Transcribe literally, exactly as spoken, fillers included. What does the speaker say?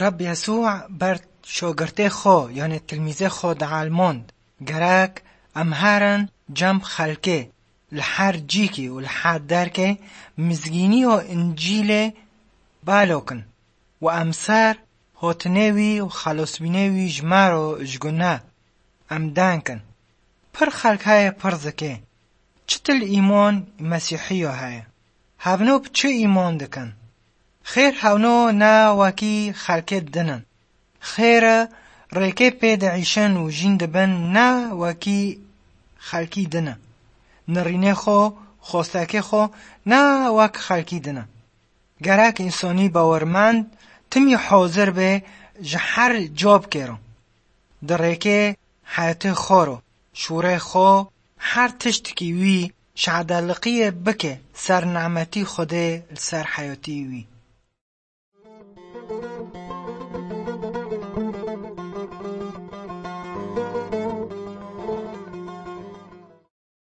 Reb Yesû ber şogirtê xwe, yanê tilmîzê xwe dielmand, gerek em herin cem xelkê, li her cîkî û li her derkê mizgînî û Încîlê balo kin û em ser hatinê wî û xelosbînê wî ji me re ji gune em den kin. Pir xelk heye pir zikê, çi til îman Mesîhiya heye? Hevno bi çi îman dikin? Xêr hevno ne wekî xelkê din in. Xêr e rêkê pê diîşin û jîn dibin ne wekî xelkî din e. Nirînê xwe, xwestekê xwe ne wek xelkî din e. Gerek însanî bawermend timî hazir be ji her cab kêro. Di rêkê heyetê xwe ro, şûrê xwe, her tiştekî wî şadeliqiyê bike ser nimetî Xwedê li ser heyatî wî.